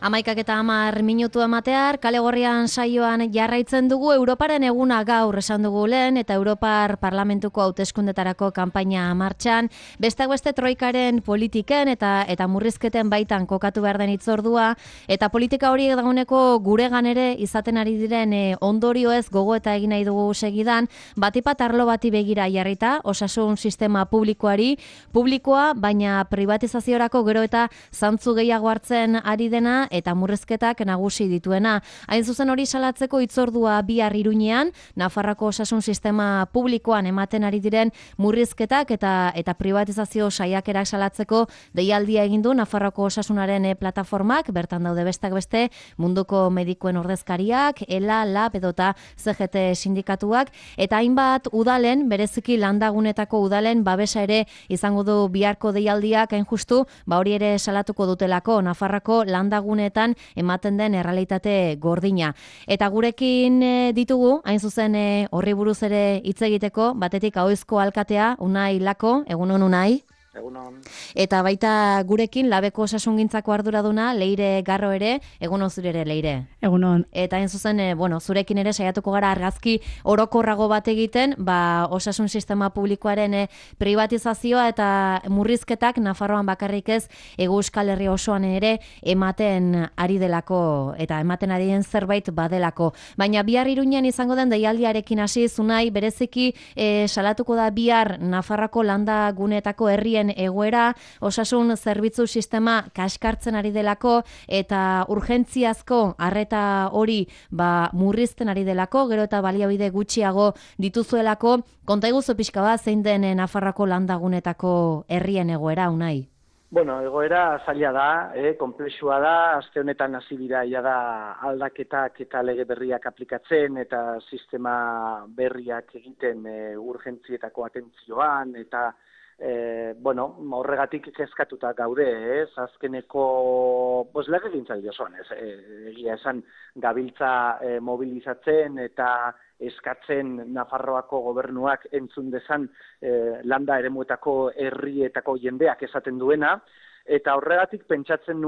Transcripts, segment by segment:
11:10 ematear, kale gorrian saioan jarraitzen dugu Europaren eguna gaur esan dugu lehen eta Europar Parlamentuko hauteskundetarako kanpaina martxan, besteak beste troikaren politiken eta murrizketen baitan kokatu behar den hitzordua eta politika horiek dagoeneko guregan ere izaten ari diren ondorioez gogoeta egin nahi dugu segidan, batipat arlo bati begira jarrita, osasun sistema publikoa, baina privatizaziorako gero eta zantzu gehiago hartzen ari dena eta murrizketak nagusi dituena. Hain zuzen hori salatzeko hitzordua bihar Iruñean, Nafarroako osasun sistema publikoan ematen ari diren murrizketak eta privatizazio saiakerak salatzeko deialdia egin du Nafarroako osasunaren plataformak, bertan daude besteak beste munduko medikuen ordezkariak, ELA, LAB edota CGT sindikatuak, eta hainbat udalen, bereziki landagunetako udalen babesa ere izango du biharko deialdiak, hain justu, hori ere salatuko dutelako Nafarroako landagunetan ematen den errealitate gordina. Eta gurekin ditugu, hain zuzen horri buruz ere hitz egiteko, batetik Ahoizko alkatea, Unai Lako, egunon Unai. Egunon. Eta baita gurekin Labeko osasungintzako arduraduna, Leire Garro ere, egunon zure ere Leire. Egunon. Eta hain zuzen, zurekin ere saiatuko gara argazki orokorrago bat egiten, osasun sistema publikoaren privatizazioa eta murrizketak Nafarroan bakarrik ez, Euskal Herria osoan ere ematen ari delako eta ematen ari den zerbait badelako. Baina bihar Iruñean izango den deialdiarekin hasi Unai, bereziki salatuko da bihar Nafarroako landa guneetako herrien egoera, osasun zerbitzu sistema kaskartzen ari delako eta urgentziazko arreta hori murrizten ari delako, gero eta baliabide gutxiago dituzuelako. Konta iguzu pixka bat zein den Nafarroako landagunetako herrien egoera, Unai? Bueno, egoera zaila da, konplexua da, aste honetan hasi dira da aldaketak eta lege berriak aplikatzen eta sistema berriak egiten urgentzietako atentzioan eta horregatik kezkatuta gaude, azkeneko lege gintzaldi osoan, egia esan gabiltza mobilizatzen eta eskatzen Nafarroako gobernuak entzun dezan landa eremuetako herrietako jendeak esaten duena, eta horregatik pentsatzen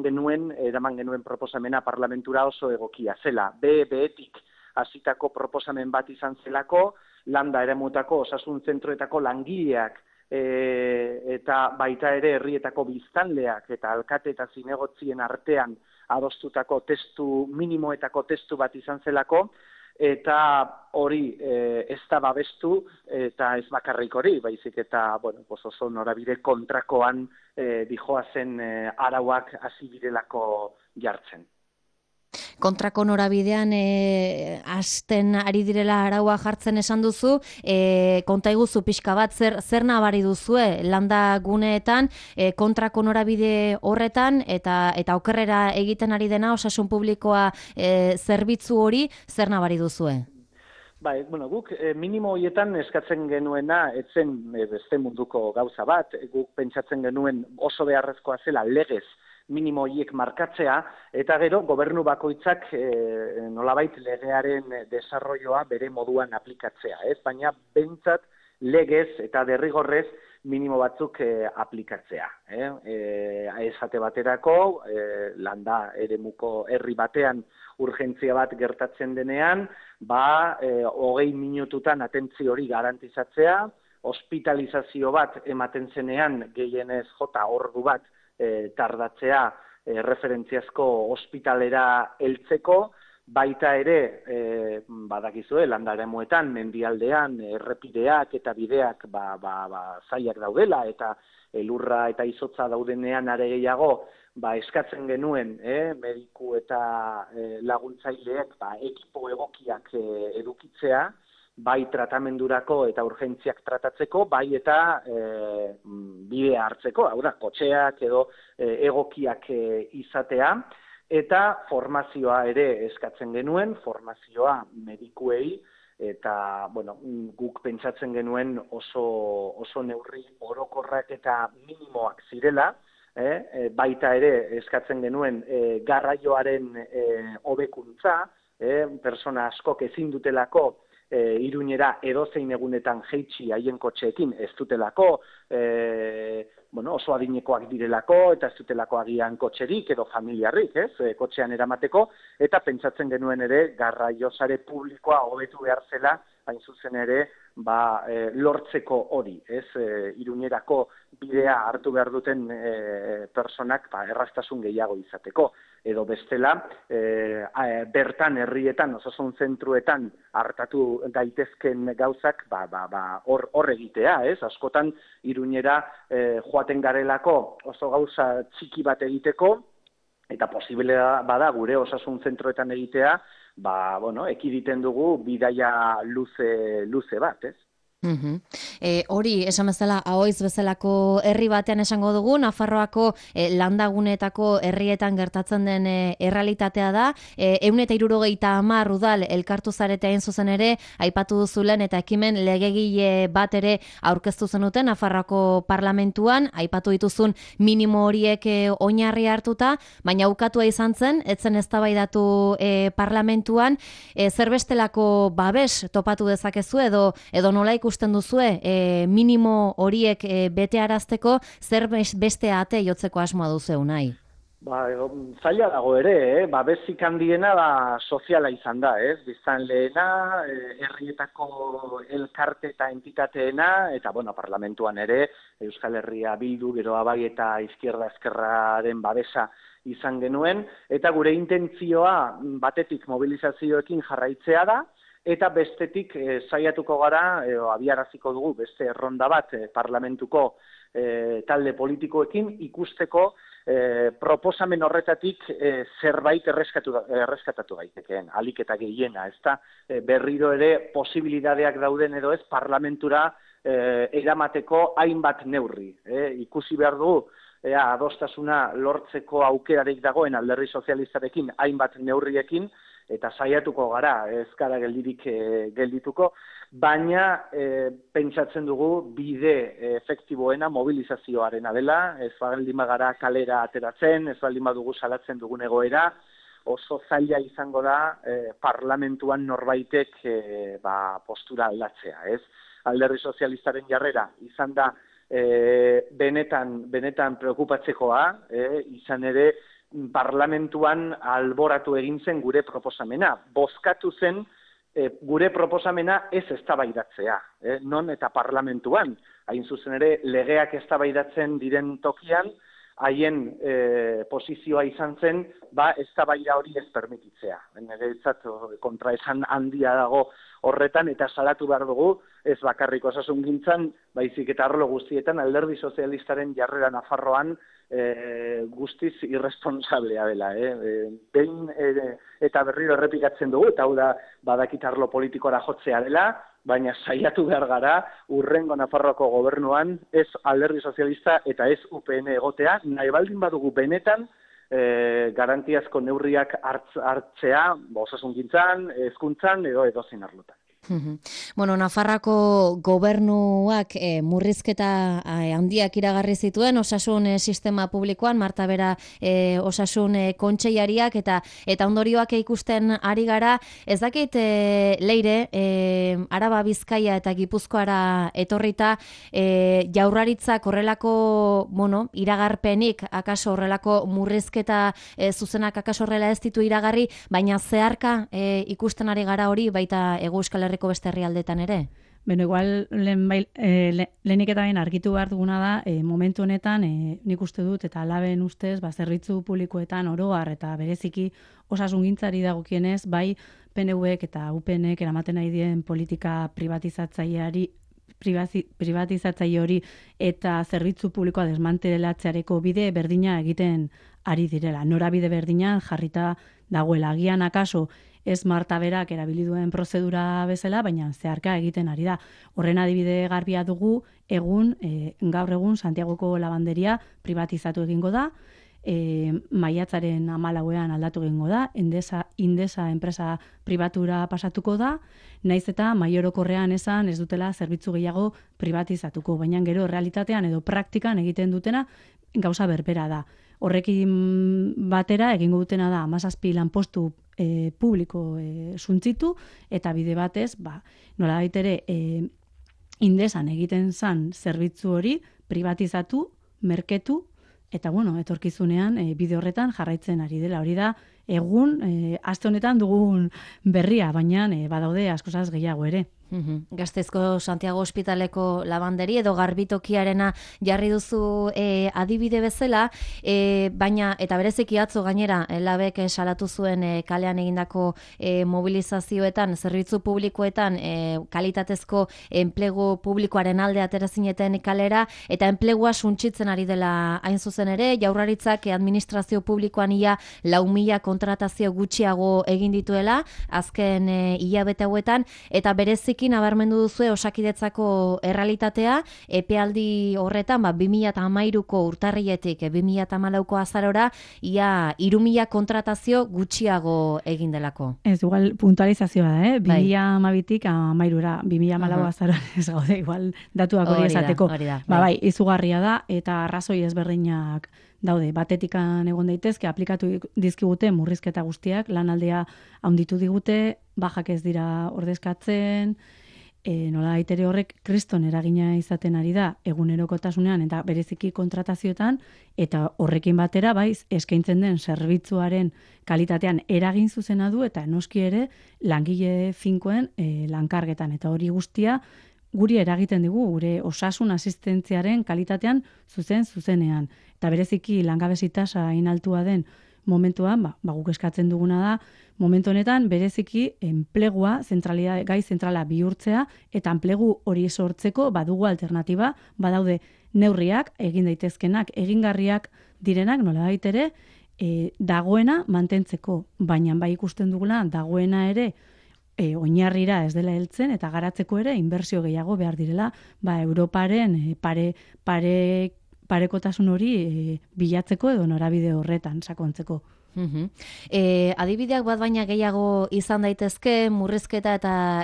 genuen, eraman genuen proposamena parlamentura oso egokia zela, behetik hasitako proposamen bat izan zelako, landa eremuetako osasun zentroetako langileak eta baita ere herrietako biztanleak eta alkate eta zinegotzien artean adostutako testu minimoetako testu bat izan zelako, eta hori ez da babestu eta ez bakarrik hori, baizik eta oso norabide kontrakoan dijoazen arauak hasi direlako jartzen. Kontrako norabidean hasten ari direla araua jartzen esan duzu, konta iguzu pixka bat zer nabari duzue landa guneetan kontrako norabide horretan eta okerrera egiten ari dena osasun publikoa zerbitzu hori zer nabari duzue? Guk minimo horietan eskatzen genuena etzen beste munduko gauza bat, guk pentsatzen genuen oso beharrezkoa zela legez minimo horiek markatzea, eta gero gobernu bakoitzak nolabait legearen desarrolloa bere moduan aplikatzea, baina behintzat legez eta derrigorrez minimo batzuk aplikatzea. Esate baterako, landa eremuko herri batean urgentzia bat gertatzen denean, 20 minututan atentzio hori garantizatzea, hospitalizazio bat ematen zenean gehienez ordu bat tardatzea referentziazko ospitalera heltzeko, baita ere, badakizue, landa eremuetan, mendialdean, errepideak eta bideak zailak daudela, eta elurra eta izotza daudenean are gehiago, eskatzen genuen, mediku eta laguntzaileek ekipo egokiak edukitzea, bai tratamendurako eta urgentziak tratatzeko, bai eta bidea hartzeko, hau da, kotxeak edo egokiak izatea, eta formazioa ere eskatzen genuen, formazioa medikuei, eta guk pentsatzen genuen oso neurri orokorrak eta minimoak zirela, baita ere eskatzen genuen garraioaren hobekuntza, persona askok ezin dutelako Iruñera edozein egunetan jeitsi haien kotxeekin ez dutelako, oso adinekoak direlako, eta ez dutelako agian kotxerik edo familiarrik, kotxean eramateko, eta pentsatzen genuen ere garraio sare publikoa hobetu behar zela, hain zuzen ere, lortzeko hori, Iruñerako bidea hartu behar duten personak erraztasun gehiago izateko. Edo bestela, bertan herrietan, osasun zentruetan hartatu daitezken gauzak, hor egitea, askotan Iruñera joaten garelako oso gauza txiki bat egiteko, eta posible bada gure osasun zentroetan egitea, ekiditen dugu bidaia luze bat, Hori, esan bezala, Ahoiz bezalako herri batean esango dugu, Nafarroako landaguneetako herrietan gertatzen den errealitatea da, 170 udal elkartu zarete hain zuzen ere, aipatu duzulen eta ekimen legegile bat ere aurkeztu zenuten Nafarroako parlamentuan, aipatu dituzun minimo horiek oinarri hartuta, baina ukatua izan zen, etzen eztabaidatu parlamentuan, zer bestelako babes topatu dezakezu edo nola ikusten duzue, minimo horiek betearazteko, zer beste ate jotzeko asmoa duzu nahi? Zaila dago ere, babesik handiena soziala izan da, biztan lehena, herrietako elkarte eta entitateena, eta parlamentuan ere, Euskal Herria Bildu, gero Abai eta Izquierda Ezkerraren babesa izan genuen, eta gure intentzioa batetik mobilizazioekin jarraitzea da, eta bestetik saiatuko gara, abiaraziko dugu beste erronda bat parlamentuko talde politikoekin ikusteko proposamen horretatik zerbait erreskatatu gaitekeen, alik eta gehiena, ezta berriro ere posibilidadeak dauden edo ez parlamentura eramateko hainbat neurri. Ikusi behar dugu, adostasuna lortzeko aukerarik dagoen Alderdi Sozialistarekin hainbat neurriekin, eta saiatuko gara, ez gara geldirik geldituko, baina pentsatzen dugu bide efektiboena mobilizazioarena dela, ez baldin bagara kalera ateratzen, ez baldin badugu salatzen dugun egoera, oso zaila izango da parlamentuan norbaitek postura aldatzea, ez? Alderdi Sozialistaren jarrera izan da benetan preokupatzekoa, izan ere parlamentuan alboratu egin zen gure proposamena. Bozkatu zen gure proposamena ez eztabaidatzea, non eta parlamentuan. Hain zuzen ere, legeak eztabaidatzen diren tokian, haien posizioa izan zen, eztabaida hori ez permititzea. Niretzat kontraesan handia dago horretan, eta salatu behar dugu, ez bakarrik osasungintzan, baizik eta arlo guztietan, Alderdi Sozialistaren jarrera Nafarroan guztiz irresponsablea dela. Behin eta berriro errepikatzen dugu, eta hau da badakit arlo politikora jotzea dela, baina saiatu behar gara urrengo Nafarroako gobernuan ez Alderdi Sozialista eta ez UPN egotea, nahi baldin badugu benetan garantiazko neurriak hartzea, osasungintzan, hezkuntzan edo edozein arlotan. Nafarroako gobernuak murrizketa handiak iragarri zituen osasun sistema publikoan, Marta Bera osasun kontseilariak eta ondorioak ikusten ari gara. Ez dakit Leire, Araba, Bizkaia eta Gipuzkoara etorrita Jaurlaritzak horrelako iragarpenik, akaso horrelako murrizketa zuzenak akaso horrela ez ditu iragarri, baina zeharka ikusten ari gara hori baita Euskal Herriko beste herrialdetan ere? Igual lehenik eta behin argitu behar duguna da, momentu honetan, nik uste dut, eta alaben ustez, zerbitzu publikoetan oroar eta bereziki osasungintzari dagokienez, bai PNVek eta UPNek eramaten nahi dien politika privatizatzaile hori eta zerbitzu publikoa desmantelatzeareko bide berdina egiten ari direla. Norabide berdinan jarrita dagoela. Agian akaso ez Marta Berak erabili duen prozedura bezala, baina zeharka egiten ari da. Horren adibide garbia dugu, gaur egun Santiagoko labanderia privatizatu egingo da, maiatzaren 14ean aldatu egingo da, Indesa enpresa pribatura pasatuko da, naiz eta maiorokorrean esan ez dutela zerbitzu gehiago privatizatuko, baina gero realitatean edo praktikan egiten dutena gauza berbera da. Horrekin batera egingo dutena da 17 lanpostu publiko suntzitu, eta bide batez, nolabait ere, Indesan egiten zan zerbitzu hori privatizatu, merketu, eta etorkizunean bide horretan jarraitzen ari dela. Hori da, egun, aste honetan dugun berria, baina badaude askozaz gehiago ere. Gasteizko Santiago Ospitaleko labanderi edo garbitokiarena jarri duzu adibide bezala, baina eta bereziki atzo gainera labek salatu zuen kalean egindako mobilizazioetan, zerbitzu publikoetan kalitatezko enplegu publikoaren alde atera zineten kalera, eta enplegua suntsitzen ari dela hain zuzen ere, Jaurlaritzak administrazio publikoan ia 4.000 kontratazio gutxiago egin dituela azken hilabete hauetan, eta berezik nabarmendu duzue Osakidetzako errealitatea, epealdi horretan 2013ko urtarriletik 2014ko azarora ia 3.000 kontratazio gutxiago egin delako. Ez, igual puntualizazioa da, 2012tik 13ra, 2014 azaroan ez gaude, igual datuak hori esateko. Bai, izugarria da, eta arrazoi ezberdinak daude. Batetikan egon daitezke, aplikatu dizkigute murrizketa guztiak, lanaldea handitu digute, bajak ez dira ordezkatzen, nola aitere horrek kriston eragina izaten ari da egunerokotasunean eta bereziki kontratazioetan, eta horrekin batera eskaintzen den zerbitzuaren kalitatean eragin zuzena du, eta noski ere langile finkoen lankargetan, eta hori guztia guri eragiten digu, gure osasun asistentziaren kalitatean zuzenean. Eta bereziki langabezi tasa hain altua den momentuan, guk eskatzen duguna da, momentu honetan bereziki enplegua gai zentrala bihurtzea, eta enplegu hori sortzeko badugu alternatiba, badaude neurriak, egin daitezkenak, egingarriak direnak, nolabait ere, dagoena mantentzeko, baina ikusten dugula dagoena ere oinarrira ez dela heltzen, eta garatzeko ere inbertsio gehiago behar direla, Europaren parekotasun hori bilatzeko edo norabide horretan sakontzeko. Adibideak bat baina gehiago izan daitezke, murrizketa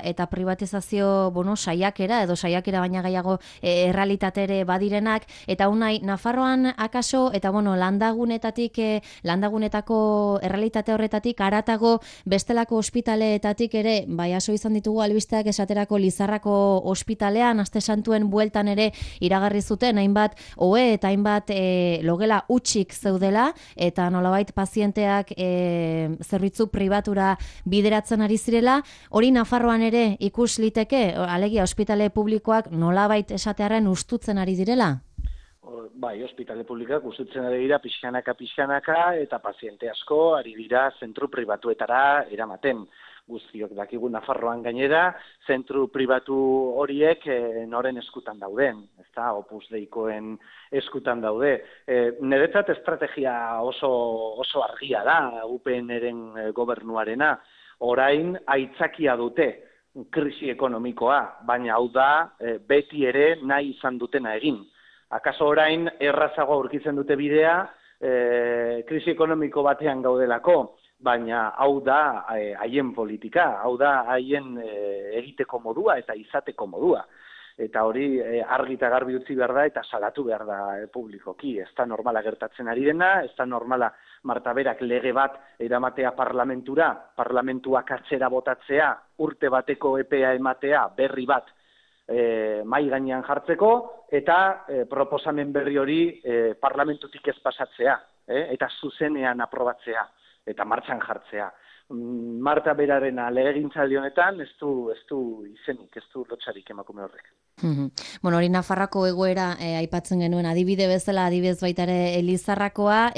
eta privatizazio saiakera edo saiakera baina gehiago errealitatere badirenak, eta unai Nafarroan akaso eta landagunetako errealitate horretatik haratago bestelako ospitaleetatik ere aso izan ditugu albisteak, esaterako Lizarrako ospitalean aste santuen bueltan ere iragarri zuten hainbat ohe eta hainbat logela hutsik zeudela, eta nolabait pazienteak zerbitzu pribatura bideratzen ari zirela. Hori Nafarroan ere ikus liteke, alegia ospitale publikoak nolabait esatearren ustutzen ari direla? Bai, ospitale publikoak ustutzen ari dira pixkanaka, eta paziente asko ari dira zentru pribatuetara eramaten. Guztiok dakigu Nafarroan gainera, zentru pribatu horiek noren eskutan dauden, ezta, Opus Deikoen eskutan daude. Niretzat estrategia oso argia da, UPN-eren gobernuarena. Orain aitzakia dute krisi ekonomikoa, baina hau da beti ere nahi izan dutena egin. Akaso orain errazago aurkitzen dute bidea krisi ekonomiko batean gaudelako, baina hau da haien politika, hau da haien egiteko modua eta izateko modua. Eta hori argi eta garbi utzi behar da eta salatu behar da publikoki. Ez da normala gertatzen ari dena, ez da normala Marta Berak lege bat eramatea parlamentuak atzera botatzea, urte bateko epea ematea, berri bat mai gainean jartzeko, eta proposamen berri hori parlamentutik ez pasatzea, eta zuzenean aprobatzea eta martxan jartzea. Marta Beraren legegintzaldi honetan ez du izenik, ez du lotsarik emakume horrek. Hori Nafarrako egoera aipatzen genuen adibide bezala, adibidez baita ere Lizarrakoa,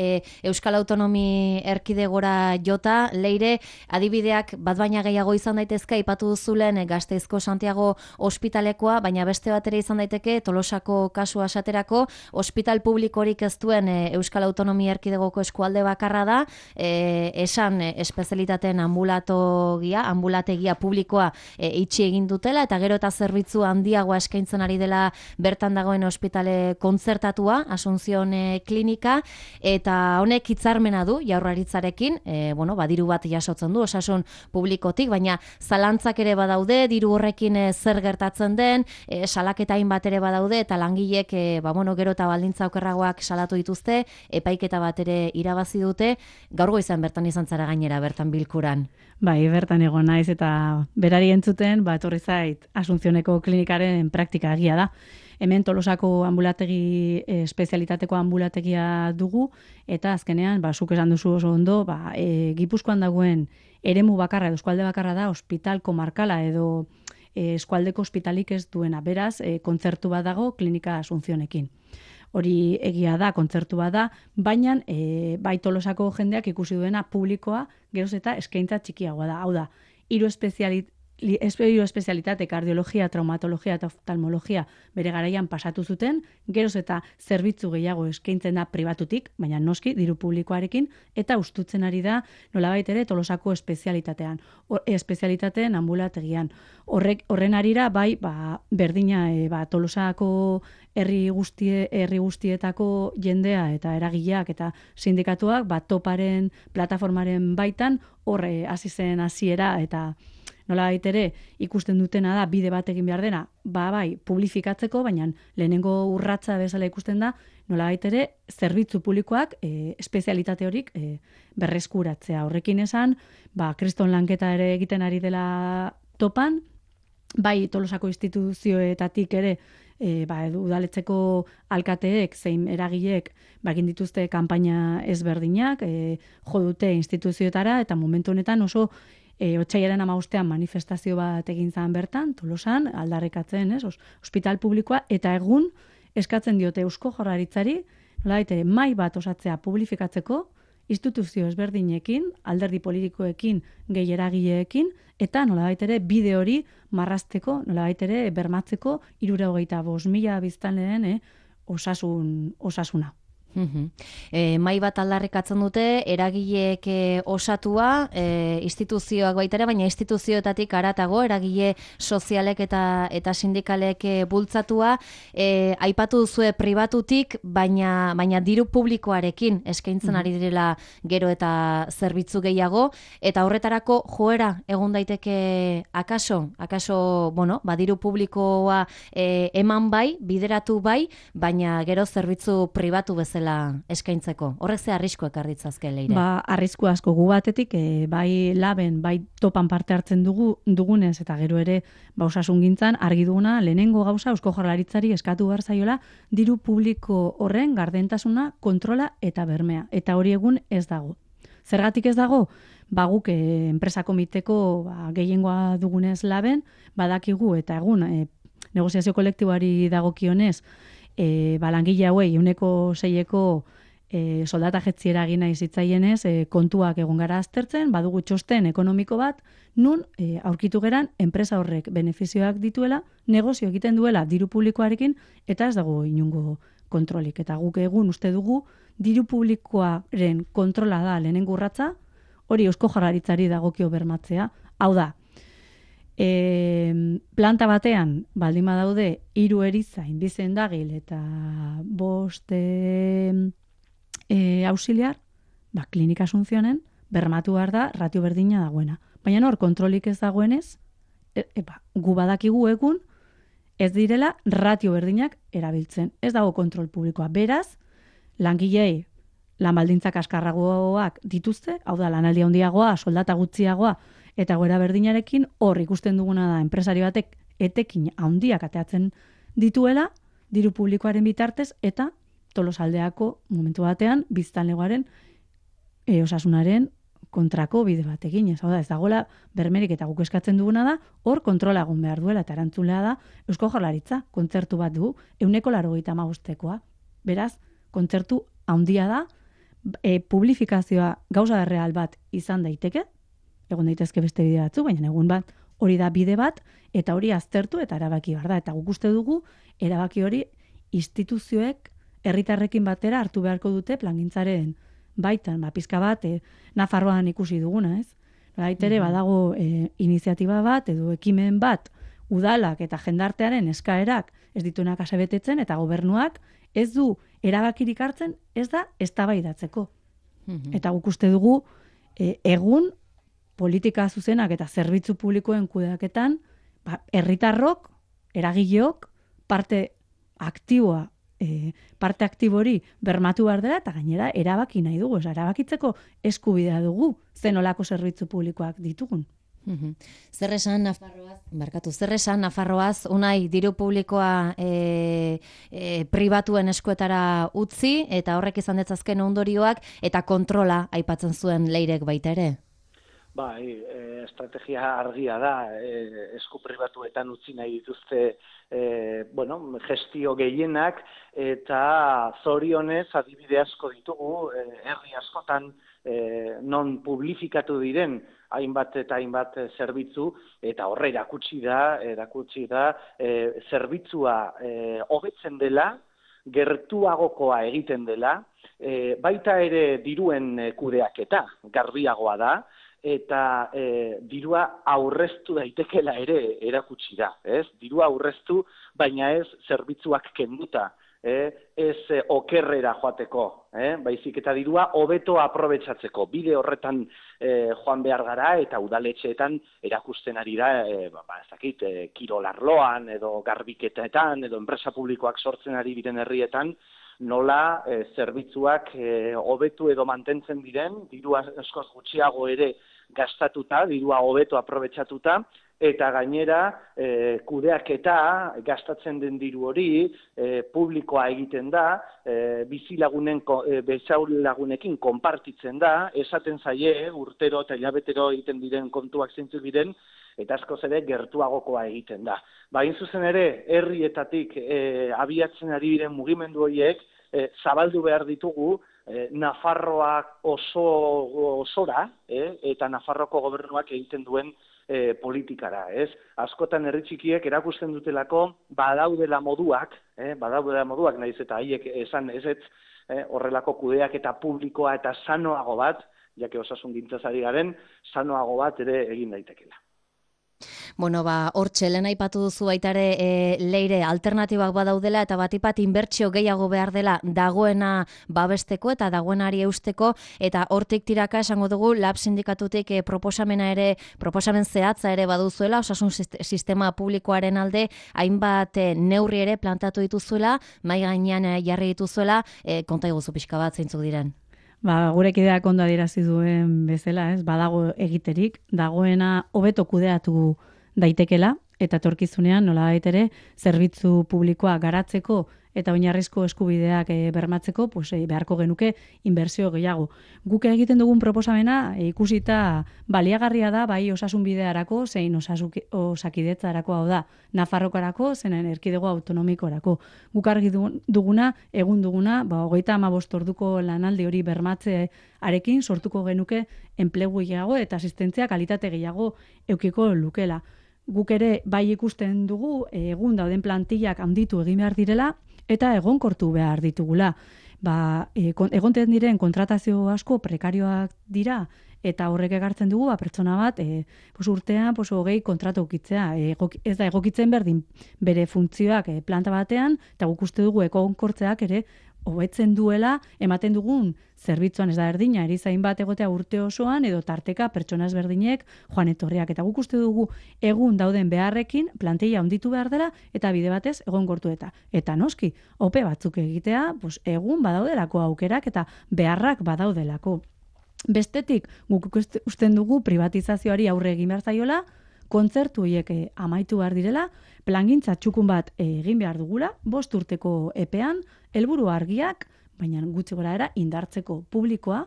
Euskal Autonomi Erkidegora jota, Leire, adibideak bat baina gehiago izan daitezke, aipatu duzulen Gasteizko Santiago ospitalekoa, baina beste bat ere izan daiteke Tolosako kasua esaterako, ospital publikorik ez duen Euskal Autonomi Erkidegoko eskualde bakarra da, esan espezialitateen ambulategia publikoa itxi egin dutela, eta gero eta zerbitzu handiagoa eskaintzen ari dela bertan dagoen ospitale kontzertatua, Asunción Klinika, eta honek hitzarmena du Jaurlaritzarekin, diru bat jasotzen du osasun publikotik, baina zalantzak ere badaude, diru horrekin zer gertatzen den, salaketa hainbat ere badaude, eta langilek gero eta baldintza okerragoak salatu dituzte, epaiketa bat ere irabazi dute, gaur goizan bertan izan zara gainera bertan bilku bilkuran. Bai, bertan egon naiz eta berari entzuten, etorri zait Asuncioneko klinikaren praktika egia da. Hemen Tolosako ambulategi, espezialitateko ambulategia dugu, eta azkenean, zuk esan duzu oso ondo, Gipuzkoan dagoen eremu bakarra edo eskualde bakarra da, ospital komarkala edo eskualdeko ospitalik ez duena. Beraz, kontzertu bat dago klinika Asuncionekin. Hori egia da, kontzertu bat da, baina bai Tolosako jendeak ikusi duena publikoa geroz eta eskaintza txikiagoa da. Hau da, hiru espezialitate, kardiologia, traumatologia eta oftalmologia bere garaian pasatu zuten, geroz eta zerbitzu gehiago eskaintzen da pribatutik, baina noski diru publikoarekin, eta ustutzen ari da nolabait ere Tolosako espezialitateen ambulategian. Horren arira bai, berdina Tolosako herri guztietako jendea eta eragileak eta sindikatuak toparen plataformaren baitan horre hasi zen hasiera eta nolabait ere ikusten dutena da bide bat egin behar dena, bai, publifikatzeko, baina lehenengo urratsa bezala ikusten da, nolabait ere zerbitzu publikoak espezialitate horik berreskuratzea. Horrekin esan, kriston lanketa ere egiten ari dela topan, bai Tolosako instituzioetatik ere udaletxeko alkateek zein eragileek egin dituzte kanpaina ezberdinak, jo dute instituzioetara, eta momentu honetan oso otsailaren 15ean manifestazio bat egin zen bertan, Tolosan, aldarrikatzen, ospital publikoa, eta egun eskatzen diote Eusko Jaurlaritzari, nolabait ere mahai bat osatzea publifikatzeko, instituzio ezberdinekin, alderdi politikoekin, gehi eragileekin, eta nolabait ere bide hori marrazteko, nolabait ere bermatzeko 75.000 biztanleen osasuna. Mai bat aldarrikatzen dute, eragileek osatua, instituzioak baita ere, baina instituzioetatik haratago, eragile sozialek eta sindikalek bultzatua, aipatu duzue pribatutik, baina diru publikoarekin eskaintzen ari direla gero eta zerbitzu gehiago, eta horretarako joera egon daiteke akaso, diru publikoa eman bai, bideratu bai, baina gero zerbitzu pribatu bezala eskaintzeko. Horrek ze arrisku ekarritzazke, Leire? Arrisku asko gu batetik, bai laben, bai topan parte hartzen dugunez, eta gero ere osasungintzan argi duguna, lehenengo gauza Eusko Jaurlaritzari eskatu behar zaiola diru publiko horren gardentasuna, kontrola eta bermea. Eta hori egun ez dago. Zergatik ez dago? Guk enpresa komiteko gehiengoa dugunez laben, badakigu eta egun negoziazio kolektiboari dagokionez, langile hauei 6% soldata jetziera egin nahi zitzaienez, kontuak egon gara aztertzen, badugu txosten ekonomiko bat, nun aurkitu geran enpresa horrek benefizioak dituela, negozio egiten duela diru publikoarekin, eta ez dago inungo kontrolik. Eta guk egun uste dugu, diru publikoaren kontrola da lehenengo urratsa, hori Eusko Jaurlaritzari dagokio bermatzea. Hau da, planta batean, baldin badaude, 3 erizain, 2 sendagil eta 5 auxiliar, klinika Asuncionen, bermatu behar da, ratio berdina dagoena. Baina hor, kontrolik ez dagoenez, gu badakigu egun, ez direla ratio berdinak erabiltzen. Ez dago kontrol publikoa. Beraz, langilei lan baldintzak askarragoak dituzte, hau da, lanaldi handiagoa, soldata gutxiagoa, eta goera berdinarekin hor ikusten duguna da enpresari batek etekin handiak ateatzen dituela, diru publikoaren bitartez, eta Tolosaldeako momentu batean biztanlegoaren osasunaren kontrako bide bat eginez. Hau da, ez dagoela bermerik, eta guk eskatzen duguna da, hor kontrola egon behar duela, eta erantzulea da Eusko Jaurlaritza, kontzertu bat du, 185ekoa. Beraz, kontzertu handia da, publifikazioa gauza real bat izan daiteke, egon daitezke beste bide batzu, baina egun bat hori da bide bat, eta hori aztertu eta erabaki behar da. Eta guk uste dugu, erabaki hori instituzioek herritarrekin batera hartu beharko dute plangintzaren baitan, pizka bat, Nafarroan ikusi duguna, ez? Baitere badago iniziatiba bat edo ekimen bat udalak eta jendartearen eskaerak ez dituenak asebetetzen, eta gobernuak ez du erabakirik hartzen, ez da eztabaidatzeko. Eta guk uste dugu egun politika zuzenak eta zerbitzu publikoen kudeaketan herritarrok, eragileok parte aktiboa parte aktibori bermatu behar dela, eta gainera erabaki nahi dugu, erabakitzeko eskubidea dugu, zenolako zerbitzu publikoak ditugun. Zer esan Nafarroaz, Unai, diru publikoa pribatuen eskuetara utzi, eta horrek izan detzazken ondorioak, eta kontrola aipatzen zuen Leirek baita ere? Bai, estrategia argia da, esku pribatuetan utzi nahi dituzte gestio gehienak, eta zorionez adibide asko ditugu, herri askotan non publifikatu diren hainbat eta hainbat zerbitzu, eta horre erakutsi da zerbitzua hobetzen dela, gertuagokoa egiten dela, baita ere diruen kudeaketa garbiagoa da, eta dirua aurreztu daitekela ere erakutsi da, ez? Dirua aurreztu, baina ez zerbitzuak kenduta, ez okerrera joateko, baizik eta dirua hobeto aprobetxatzeko. Bide horretan joan behar gara eta udaletxeetan erakusten ari da, kirolarloan edo garbiketetan edo enpresa publikoak sortzen ari diren herrietan, nola zerbitzuak hobetu edo mantentzen diren, dirua askoz gutxiago ere gastatuta, dirua hobeto aprobetxatuta, eta gainera kudeaketa gastatzen den diru hori publikoa egiten da, bizilagunekin konpartitzen da, esaten zaie urtero eta hilabetero egiten diren kontuak zeintzuk diren, eta askoz ere gertuagokoa egiten da. Hain zuzen ere, herrietatik abiatzen ari diren mugimendu horiek zabaldu behar ditugu Nafarroak osora, eta Nafarroko gobernuak egiten duen politikara, ez? Askotan herri txikiek erakusten dutelako badaudela moduak, naiz eta haiek esan ezetz, horrelako kudeaketa publikoa eta sanoago bat, jake osasungintzaz ari garen, sanoago bat ere egin daitekela. Bueno, hortxe, lehen aipatu duzu baita ere Leire alternatibak badaudela eta batipat inbertsio gehiago behar dela dagoena babesteko eta dagoenari eusteko, eta hortik tiraka esango dugu Lab sindikatutik proposamen zehatza ere baduzuela, osasun sistema publikoaren alde hainbat neurri ere plantatu dituzuela, mai gainean jarri dituzuela, konta iguzu pixka bat zeintzuk diren. Gure kideak ondo adierazi duen bezala, badago egiterik, dagoena hobeto kudeatu daitekela, eta etorkizunean nolabait ere zerbitzu publikoa garatzeko eta oinarrizko eskubideak bermatzeko, beharko genuke inbertsio gehiago. Guk egiten dugun proposamena ikusita baliagarria da, bai osasun bidearako, zein osakidetzarako, hau da, Nafarrokarako, zein erkidego autonomikorako. Guk argi duguna, egun duguna, 35 orduko lanaldi hori bermatzearekin sortuko genuke enplegu gehiago eta asistentzia kalitate gehiago eukiko lukela. Guk ere bai ikusten dugu egun dauden plantillak handitu egin behar direla eta egonkortu behar ditugula. Egonten diren kontratazio asko prekarioak dira eta horrek ekartzen dugu pertsona bat urtean 20 kontratu ukitzea. Ez da egokitzen berdin bere funtzioak planta batean, eta guk uste dugu egonkortzeak ere hobetzen duela ematen dugun zerbitzuan, ez da berdina, erizain bat egotea urte osoan edo tarteka pertsona ezberdinek joan etorriak, eta guk uste dugu egun dauden beharrekin plantilla handitu behar dela eta bide batez egonkortu eta noski ope batzuk egitea, egun badaudelako aukerak eta beharrak badaudelako. Bestetik, guk usten dugu privatizazioari aurre egin behar zaiola, kontzertu horiek amaitu behar direla, plangintza txukun bat egin behar dugula, 5 urteko epean, helburu argiak, baina gutxi goraera indartzeko publikoa,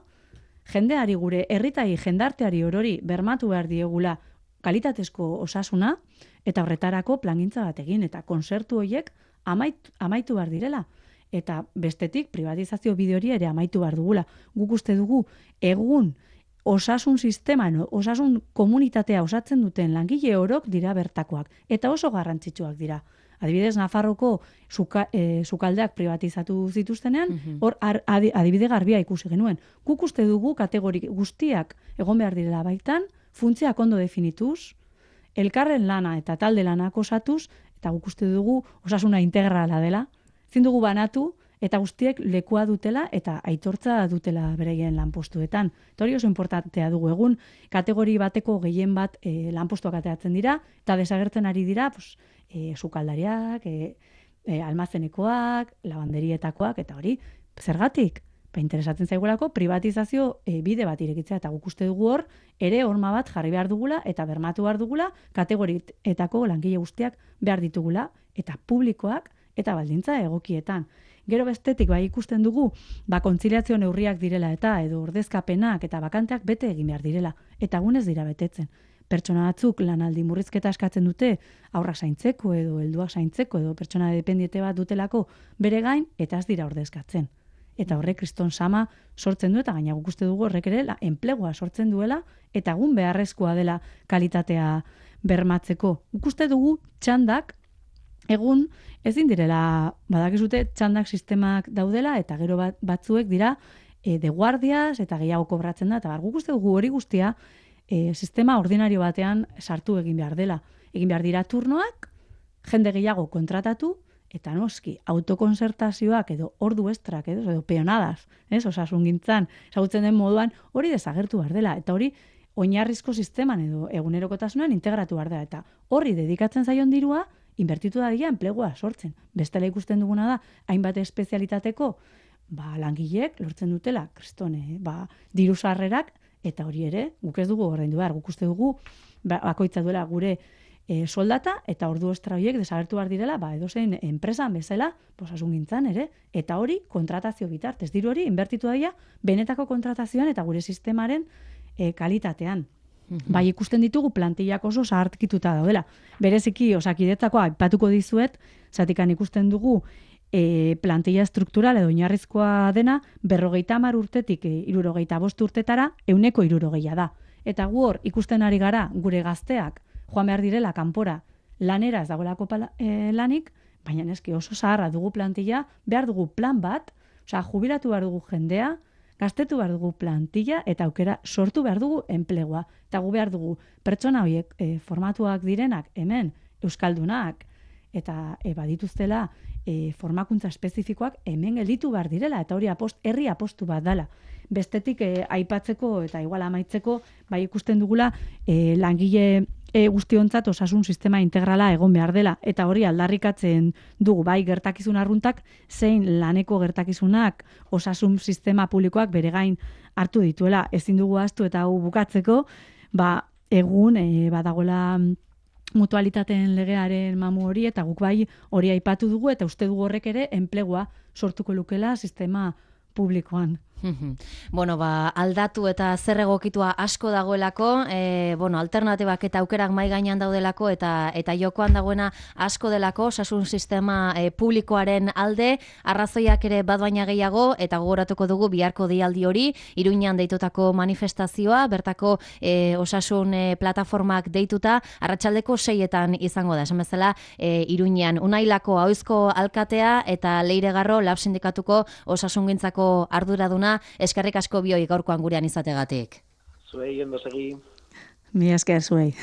jendeari gure herritai jendarteari orori bermatu behar diegula kalitatezko osasuna, eta horretarako plangintza bat egin, eta kontzertu horiek amaitu behar direla. Eta bestetik, privatizazio bide hori ere amaitu behar dugula. Guk uste dugu, egun osasun sisteman, osasun komunitatea osatzen duten langile orok dira bertakoak, eta oso garrantzitsuak dira. Adibidez, Nafarroko sukaldeak privatizatu zituztenean, hor adibide garbia ikusi genuen. Guk uste dugu kategori guztiak egon behar direla baitan, funtzioak ondo definituz, elkarren lana eta talde lanak osatuz, eta guk uste dugu osasuna integrala dela, ezin dugu banatu, eta guztiek lekua dutela eta aitortza dutela bereien lanpostuetan. Eta hori oso importantea dugu egun, kategori bateko gehien bat lanpostuak ateratzen dira, eta desagertzen ari dira sukaldariak, almazenekoak, labanderietakoak, eta hori, zergatik? Interesatzen zaigulako privatizazio bide bat irekitzea, eta guk uste dugu hor, ere horma bat jarri behar dugula, eta bermatu behar dugula, kategorietako langile guztiak behar ditugula, eta publikoak, eta baldintza egokietan. Gero bestetik bai ikusten dugu, kontziliazio neurriak direla eta edo ordezkapenak eta bakanteak bete egin behar direla, eta egunez dira betetzen. Pertsona batzuk lanaldi murrizketa eskatzen dute aurrak zaintzeko edo helduak zaintzeko edo pertsona dependiente bat dutelako bere gain eta ez dira ordezkatzen. Eta horrek kriston sama sortzen du eta gaina guk uste dugu horrek ere enplegua sortzen duela eta egun beharrezkoa dela kalitatea bermatzeko. Guk uste dugu txandak egun ezin direla, badakizute txandak sistemak daudela eta gero batzuek dira de guardias eta gehiago kobratzen da eta guk uste dugu hori guztia sistema ordinario batean sartu egin behar dela. Egin behar dira turnoak, jende gehiago kontratatu, eta noski, autokonsertazioak edo ordu estrak edo peonadas, osasungintzan, ezagutzen den moduan, hori desagertu behar dela. Eta hori, oinarrizko sisteman edo egunerokotasunan integratu behar dela. Eta horri dedikatzen zaion dirua, inbertitu da dira enplegua sortzen. Bestela ikusten duguna da, hainbat espezialitateko, langilek lortzen dutela, kristone, diru sarrerak, eta hori ere, guk ez dugu ordaindu behar, guk uste dugu, bakoitza duela gure soldata eta ordu estra horiek desagertu behar direla, edozein enpresan bezala, osasungintzan ere, eta hori kontratazio bitartez. Diru hori inbertitu da dira, benetako kontratazioan eta gure sistemaren kalitatean. Bai ikusten ditugu plantillak oso zaharkituta daudela. Bereziki Osakidetzako aipatuko dizuet, zatikan ikusten dugu plantilla struktural edo oinarrizkoa dena 50 urtetik 65 urtetara 160 da. Eta gu hor ikusten ari gara gure gazteak joan behar direla kanpora lanera ez dagoelako lanik, baina eski oso zaharra dugu plantilla, behar dugu plan bat, jubilatu behar dugu jendea, gaztetu behar dugu plantilla eta aukera sortu behar dugu enplegua. Eta gu behar dugu pertsona horiek formatuak direnak hemen euskaldunak eta badituztela formakuntza espezifikoak hemen gelditu behar direla eta hori herri apostu bat dela. Bestetik aipatzeko eta igual amaitzeko bai ikusten dugula langile guztiontzat osasun sistema integrala egon behar dela eta hori aldarrikatzen dugu bai gertakizun arruntak zein laneko gertakizunak osasun sistema publikoak bere gain hartu dituela. Ezin dugu ahaztu eta hau bukatzeko egun badagoela mutualitateen legearen mamu hori eta guk bai hori aipatu dugu eta uste dugu horrek ere enplegua sortuko lukela sistema publikoan. Bueno, aldatu eta zer egokitua asko dagoelako, alternatibak eta aukerak mai gainean daudelako eta jokoan dagoena asko delako osasun sistema publikoaren alde, arrazoiak ere bat baina gehiago eta gogoratuko dugu biharko deialdi hori, Iruñean deitutako manifestazioa, bertako osasun plataformak deituta, arratsaldeko 6etan izango da, esan bezala Iruñean Unailako ahoizko alkatea eta Leire Garro Lab sindikatuko osasungintzako arduraduna. Eskerrik asko bioi gaurkoan gurean izategatik. Zuei, ondo segi. Mila esker zuei.